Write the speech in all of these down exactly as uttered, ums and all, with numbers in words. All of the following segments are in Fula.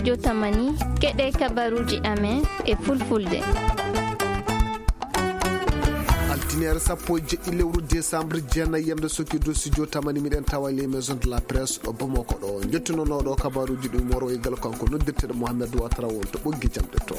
Jotamani, keɗe kabaruji amen e fulfulde. Altineere sappo e jeɗɗi lewru décembre, jeenayi yamde sokki dosi jotamani, miɗen tawa les maisons de la presse ɗo Bamako ɗo. Njettunooɗo kabaruji ɗi moro e gal kanko noddirteɗo Mohamed Ouattara won to ɓoggi jamɗe to.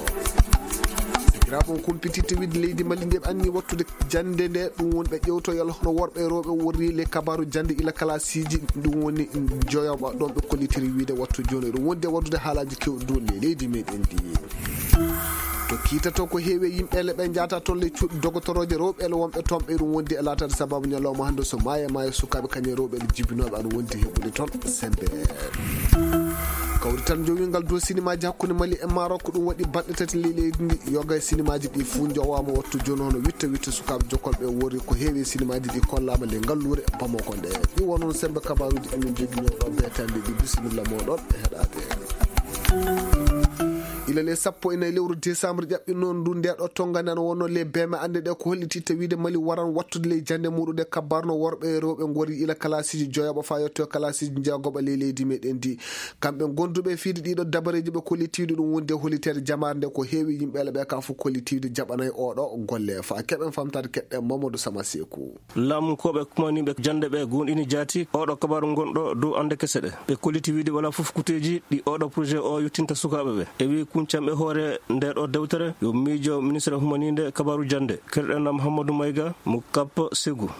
Sakiraaɓe, on kumpititte wiide leydi Mali nde ɓe anni wattude jannde nde, ɗum woni ɓe ƴewtoyal hono worɓe e rewɓe worri le kabaru jannde ila kalasiiji, ɗum woni joyoɓa ɗon ɓe kollitiri wiide wattu jooni ɗum wonde waɗude haalaaji kewɗi dow le leydi meɗen ndi. To kiitato ko heewi yimɓe le ɓe njaata toon le cuuɗi dogotoroje rewɓe le wonɓe toon ɓe ɗum wondi e laataade sababu ñalawma hannde so maaye maaye sukaaɓe kañum e rewɓe le jibinooɓe aɗa wondi heɓude toon sembe. Kawrital njowingal dow sinimaaji hakkunde Mali e Maroc, ɗum waɗi balɗe tati ley leydi ndi, yoga e sinimaaji ɗi fuu njowaama wattu jooni hono witta witta sukaaɓe jokkolɓe worri ko heewi e sinimaaji ɗi kollaama ley ngalluure Bamako nde. Ɗi won noon sembe kabaaruuji ɗi min njogii ñoo ɗo beetande ɗi, bisimilla mooɗon e heɗaade. Ila le sappo e nayi lewru décembre ƴaɓɓi noon ndu nde ɗo tongani ana wonno le beme annde ɗe ko holliti tawiide Mali waran wattude ley jannde muɗum nde kabbarno worɓe e rewɓe ngori ila kalasiiji joyoɓa faa yetto kalasiiji jeegoɓa ley leydi meɗen ndi. Kamɓe gonduɓe e fiide ɗiɗo dabareeji ɓe kollitiiɗo ɗum wonde holliteede jamaare nde ko heewi yimɓe ele ɓe ka fof kollitiiɗo jaɓanay oɗo golle faa keɓen famtaade keɗɗen Mamadou Sama Seeku. Laamunkooɓe kumaniiɓe jannde ɓe goonɗini jaati oɗo kabaaru gonɗo dow annde kese ɗe. Ɓe kolliti wiide walaa fof kuteeji ɗi oɗo projet o yottinta sukaaɓe ɓe. E wii kuncanɓe hoore nde ɗo dewtere yo miijo ministre humaniinde kabaaru jannde, kerɗen Mouhamadou Maïga mo Cap Ségou.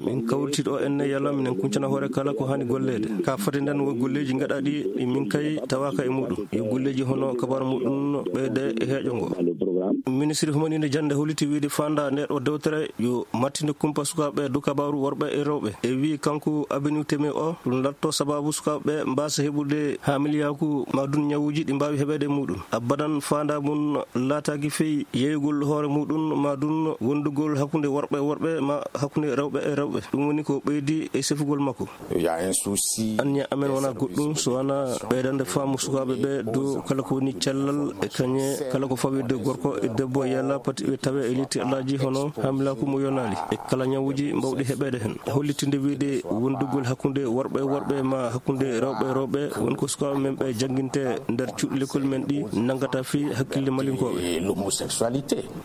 Min kawriti ɗo enne yalla minen kuncana hoore kala ko haani golleede. Ka fati nden wo golleeji gaɗaaɗi ɗi min kay tawaaka e muɗum. Yo golleeji hono kabaaru muɗum ɓeyde e heeƴo ngo. Ministre humaniinde jannde holliti wiide faanda nde ɗo dewtere yo mattinde kumpa sukaaɓe dow kabaaru worɓe e rewɓe. E wii kanko Abinu Teme o ɗum latto sababu sukaaɓe ɓe mbaasa heɓude haamiliyaaku ma dun ñawuuji ɗi mbaawi heɓeede e muɗum. Abadan faanda mum laataaki fey yeeyugol hoore muɗum ma dun wondugol hakkunde worɓe e worɓe ma hakkunde rewɓe e rewɓe. Ɗum woni ko ɓeydi e sefugol makko. Anniya amen wonaa goɗɗum so wonaa ɓeydande faamu sukaaɓe ɓe dow kala ko woni cellal e kañe kala ko fawi dow gorko e debbo yalla pati ɓe tawe e letti alaaji hono haamilaaku mo yonaali e kala ñawuuji mbawɗi heɓeede heen. Hollitinde wiide wondugol hakkunde worɓe e worɓe ma hakkunde rewɓe e rewɓe won ko sukaaɓe men ɓe jannginte nder cuuɗi lekkol men ɗi nanngata fii hakkille malinkooɓe.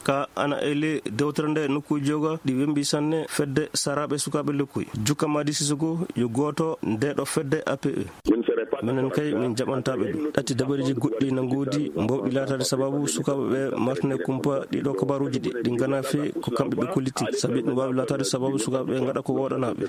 Ka ana e ley dewtere nde nokkuuji joga ɗi wembi sanne fedde saraaɓe sukaaɓe lekkuy. Jukka Madi Sissoko yo gooto nde ɗo fedde A P E. Minen kay min jaɓantaaɓe ɗum. Ɗatti dabareeji goɗɗi na ngoodi mbawɗi laataade sababu sukaaɓe ɓe martine kumpa ɗiɗo kabaaruuji ɗi. Ɗi ngana fii ko kamɓe ɓe kolliti. Sabi ɗum waawi laataade sababu sukaaɓe ɓe ngaɗa ko wooɗanaaɓe.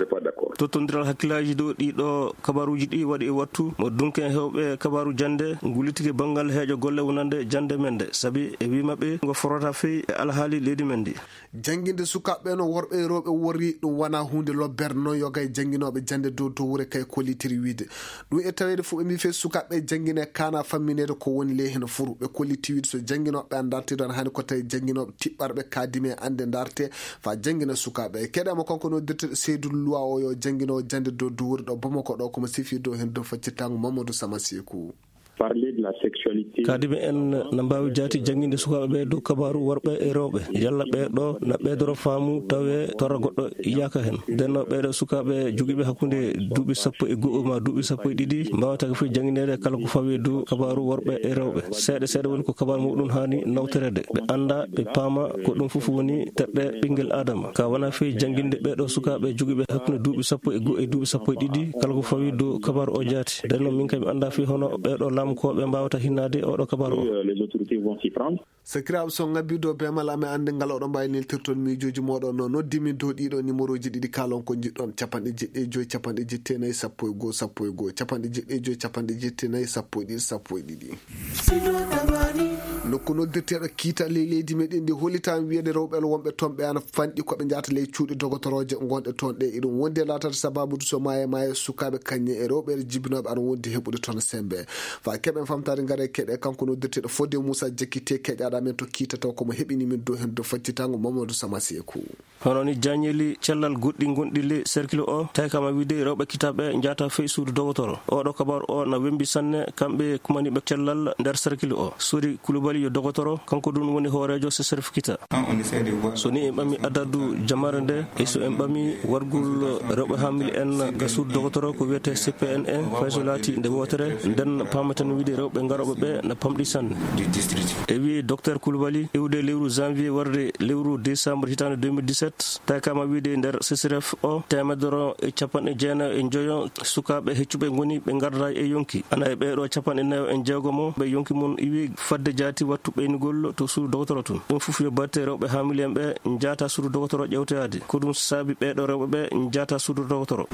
Tottondiral hakkillaaji dow ɗiɗo kabaaruuji ɗi waɗi e wattu mo dunke heewɓe kabaaru jannde ngullitike banngal heeƴo golle wonande jannde men nde. Sabi e wii maɓɓe ngo forata fii e alhaali leydi men ndi. Jannginde sukaaɓe no worɓe e rewɓe worri ɗum wonaa huunde lobbere noon yoga e jannginooɓe jannde dow to wure kay kollitiri wiide. Ɗum e taweede fof ɓe mbii fee sukaaɓe janngine kaana fammineede ko woni ley heen furu. Ɓe kolliti wiide so jannginooɓe an ndartiri ɗoon haani ko tawi jannginooɓe tiɓɓarɓe kaadime annde ndarte faa janngina sukaaɓe. Keɗaama kanko no dirteɗo Seydou Loi o yo jannginoowo jannde dow duwure ɗo Bamako ɗo komo sifii dow heen dow faccitaango Mamadou Sama Seeku. Parler de la sexualité. Kaadime en na mbaawi jaati jannginde sukaaɓe ɓe dow kabaaru worɓe e rewɓe. Yalla ɓee ɗo na ɓeydoro faamu tawe torra goɗɗo yaaka heen. Nden no ɓee ɗo sukaaɓe jogiiɓe hakkunde duuɓi sappo e go'o ma duuɓi sappo e ɗiɗi mbaawata ko fii janngineede kala ko fawi dow kabaaru worɓe e rewɓe. Seeɗa seeɗa woni ko kabaaru muɗum haani nawtoreede. Ɓe annda, ɓe paama ko ɗum fof woni terɗe ɓinngel Aadama. Ka wonaa fii jannginde ɓee ɗo sukaaɓe jogiiɓe hakkunde duuɓi sappo e go'o e duuɓi sappo e ɗiɗi kala ko fawi dow kabaaru o jaati. Nden noon min kam mi anndaa fii hono ɓee ɗo laamukooɓe mbaawata hinnaade oɗo kabaaru o. Euh, les autorités vont s'y prendre. Sakiraaɓe, so ngabbii dow beemal amen annde ngal oɗon mbaawi neltirton miijooji mooɗon no noddi min dow ɗiɗo numéroji ɗiɗi kaalon ko njiɗɗon, capanɗe jeɗɗi e joy, capanɗe jeɗɗi e nayi, sappo e go'o, sappo e go'o, capanɗe jeɗɗi e joy, capanɗe jeɗɗi e nayi, sappo e ɗiɗi, sappo e ɗiɗi. Nokku noddirteeɗo kiita ley leydi meɗen ndi hollitaama wiyeede rewɓe wonɓe toon ɓe ana fanɗi ko ɓe njahata ley cuuɗi dogotoroje ngonɗe toon ɗe. Iɗum wondi e laataade sababude so maaye maaye sukaaɓe kañe e rewɓe jibinooɓe ana wondi heɓude toon sembe. Faa keɓen famtaade ngare keɗe kanko noddirteeɗo Fodé Moussa Diakité keƴaaɗo amen to kiita taw ko mo heɓini min dow heen dow faccitaango Mamadou Sama Seeku. Hono ni jaañeeli cellal goɗɗi gonɗi ley cercle o, tawi kama wiide rewɓe kitaaɓe njaata fey suudu dogotoro. Oɗo kabaaru o na wembi sanne kamɓe kumaniiɓe cellal nder cercle o. Sori Kulubali Yo dogotoro, kanko ɗum woni hooreejo sesref kita. So ni en ɓami adadu jamaare nde, e so en ɓami wargol rewɓe hamil en ga suudu dogotoro ko wiyetee C P N E, fay so laati nde wootere, nden paamaten wiide rewɓe garooɓe ɓe na pamɗi sanne. E wi Docteur Koulibaly, iwde lewru janvier warde lewru décembre hitaande deux mille dix-sept, tawi kama wiide nder sesref o, teemedere e capanɗe jeenayo e njoyo sukaaɓe heccuɓe ngoni ɓe ngarda e yonki. Ana e ɓeeɗo capanɗe nayo e jeegomo ɓe yonki mum iwi fadde jaati wattu ɓeynugol to suudu dogotoro tun. Ɗum fof yo batte rewɓe hamil en ɓe njaata suudu dogotoro ƴewtoyaade. Ko ɗum saabi ɓeeɗo rewɓe ɓe njaata suudu dogotoro.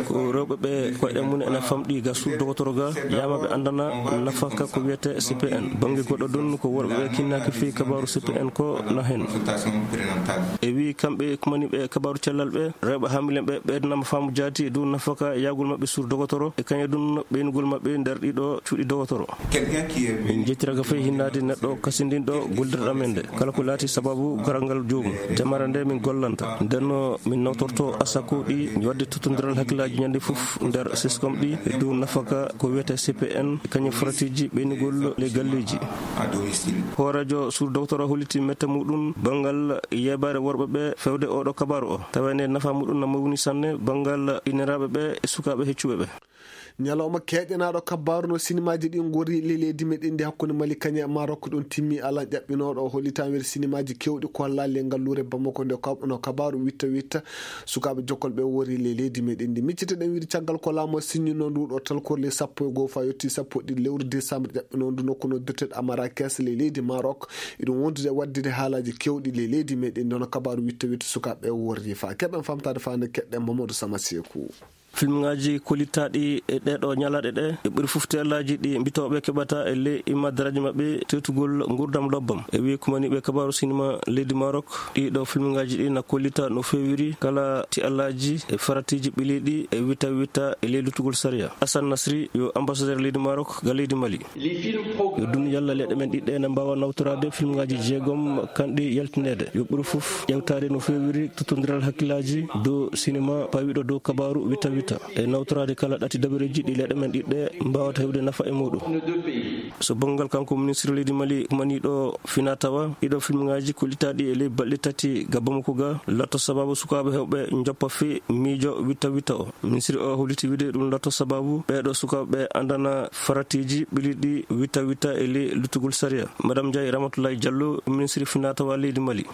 Ko rewɓe ɓe koyɗe mum ene famɗi ga suudu dogotoro ga, yama ɓe andana nafaka ko wiyetee C P N. Bannge goɗɗo ɗon ko worɓe ɓe kinnaaki fii kabaaru C P N ko na hen. E wi kamɓe kumani ɓe kabaaru cellal ɓe, rewɓe hamil en ɓe ɓeydanama faamu jaati e dow nafaka yahgol maɓɓe suudu dogotoro, e kañum ɗum ɓeynugol maɓɓe nder ɗiɗo cuuɗi dogotoro. Min njettiraka fay hinnaade neɗɗo kasindinɗo gollirɗo amen nde, kala ko laati sababu garal ngal joomum. Jamaare nde min gollanta. Ndenno min nawtorto asako ɗi wadde tottondiral hakkillaaji ñande fof nder seskom ɗi e dow nafaka ko wiyetee C P N, kañum faratiiji ɓeynugol le galleeji. Hooreejo suudu dogotoro holliti mette muɗum banngal yeebaare worɓe ɓe fewde oɗo kabaaru o. Tawa nde nafa muɗum na mawni sanne banngal inniraaɓe ɓe e sukaaɓe heccuɓe ɓe. Ñalawma keeƴanaaɗo kabaaru no sinimaaji ɗi ngorri le leydi meɗen ndi hakkunde Mali kañe e Maroc ɗum timmi alan ƴaɓɓinooɗo o hollitaan wiyde sinimaaji keewɗi ko hollaa le ngalluure Bamako nde kab-, no kabaaru witta witta sukaaɓe jokkol ɓe worri le leydi meɗen ndi. Miccite ɗen wiyde caggal ko laamu o sinnino ndu ɗo talkor le sappo e goo fa yotti sappo e ɗiɗi lewru décembre ƴaɓɓinoo ndu nokku no dirteɗo Amarakes le leydi Maroc. Iɗum wondude e waɗdude haalaaji keewɗi le leydi meɗen ndi hono kabaaru witta witta sukaaɓe ɓe worri fa. Keɓen famtaade fa nde keɗɗen Mamadou Sama Seeku. Filmŋaaji kollitaaɗi e ɗeeɗo ñalaaɗe ɗe, e ɓuri fof teelaaji ɗi mbitooɓe keɓata e ley immadaraaji maɓɓe teetugol nguurndam lobbam. E wiye kumaniiɓe kabaaru sinima leydi Maroc, ɗiɗo filmŋaaji ɗi na kollita no feewiri kala teelaaji e faratiiji ɓiliiɗi e witta witta e ley luttugol sariya. Assane Nasri yo ambassadeur leydi Maroc ga leydi Mali. Yo dun yalla leɗɗe men ɗiɗɗe ene mbaawa nawtoraade filmŋaaji jeegom kanɗi yaltineede. Yo ɓuri fof ƴewtaade no feewiri tottondiral hakkillaaji dow sinima pawiɗo dow kabaaru witta witta. E nawtoraade kala ɗati dabareeji ɗi leɗɗe men ɗiɗɗe mbaawata heɓde nafa e muɗum. So banngal kanko ministre leydi Mali maniiɗo fina tawa ɗiɗo filmŋaaji kollitaaɗi e ley balɗe tati ga Bamako ga latto sababu sukaaɓe heewɓe njoppa fii miijo witta witta o. Ministre o holliti wiide ɗum latto sababu ɓeeɗo sukaaɓe andana faratiiji ɓiliiɗi witta witta e ley luttugol sariya. Madame Ndiaye Ramatoulaye Diallo, ministre finatawa leydi Mali.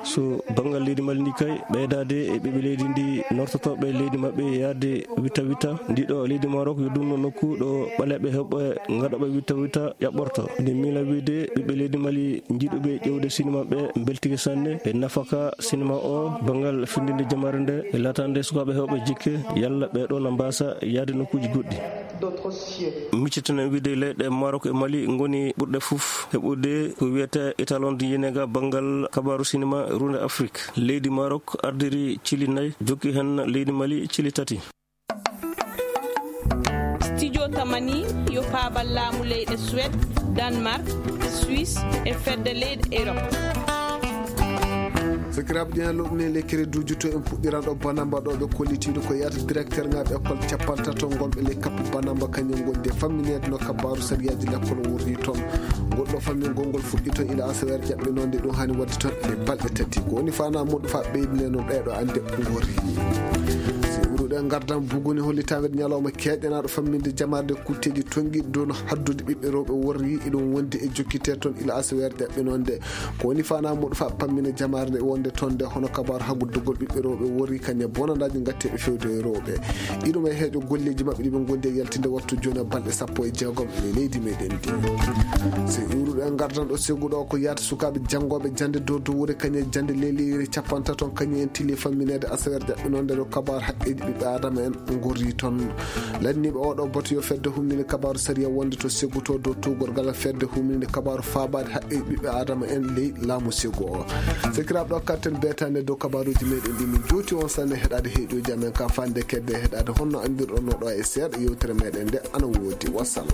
So banngal leydi Mali ndi kay, ɓeydaade e ɓiɓɓe leydi ndi nortotooɓe leydi maɓɓe yaade witta witta, ndiɗo leydi Maroc yo ɗum no nokku ɗo ɓaleeɓe heewɓe ngaɗooɓe witta witta ƴaɓɓorto. Nde miila wiide ɓiɓɓe leydi Mali njiɗuɓe ƴewde sinima ɓe mbeltike sanne e nafaka sinima o banngal findinde jamaare nde e laataande sukaaɓe heewɓe jikke yalla ɓee ɗoo na mbaasa yaade nokkuuji goɗɗi. Miccitenen wiide leyɗe Maroc e Mali ngoni ɓurɗe fof heɓude ko wiyetee étalon de yinega banngal kabaaru sinima runde Afrik. Leydi Maroc ardiri cili nayi, jokki heen leydi Mali cili tati. Studio Tamani yo paabal laamu leyɗe Suède, Danemark, Suisse e fedde leyɗe Europe. Sakiraaɓe, ɗen lowɗen e lekkere duujuto en puɗɗiran ɗo banamba ɗo ɓe kollitiiɗo ko yaata directeur ŋaaɓe école capantato ngol ɓe ley kappu banamba kañum ngoni de fammineede no kabaaru sariyaaji lekkol wurri toon. Ngol ɗo fammingol ngol fuɗɗi toon ila asaweere ƴaɓɓinoo nde ɗum hani waɗde toon e balɗe tati. Ko woni fana muɗum fa ɓeydineno ɗeeɗo annde ngorri. Si wuruɗen ngardan buguni hollitaanɓe ñalawma keeƴanaaɗo famminde jamaare nde kutteeji tongiɗi dow no haddude ɓiɓɓe rewɓe worri iɗum wondi e jokkite toon ila asaweere ƴaɓɓinoo nde. Ko woni fana muɗum fa pammina jamaare nde wonde toon nde hono kabaaru haguddugol ɓiɓɓe rewɓe worri kañe bonandaaji ngatteeɓe fewde e rewɓe. Iɗum e heeƴo golleeji maɓɓe ɗi ɓe ngondi e yaltinde wattu jooni e balɗe sappo e jeegom e leydi meɗen ndi. Si iwruɗo en ngardan ɗo segu ɗo ko yaata sukaaɓe janngooɓe jannde dow dow wure kañe jannde leleyre capantato kañum en tili fammineede asaweere jaɓɓinoo nde ɗo kabaaru haqqeeji ɓiɓɓe Aadama en ngorri toon. Lanniiɓe oɗo bato yo fedde humninde kabaaru sariya wonde to segguto dow tuugorgal fedde humninde kabaaru faabaade haqqeeji ɓiɓɓe Aadama en ley laamu segu o. Sakiraaɓe ɗo karten beetaande dow kabaaruuji meɗen ɗi min juuti on sanne heɗaade heeɗiyoji amen ka fande kedde heɗaade honno anndirɗon no ɗo e seeɗa yewtere meɗen nde ana woodi. Wassalam.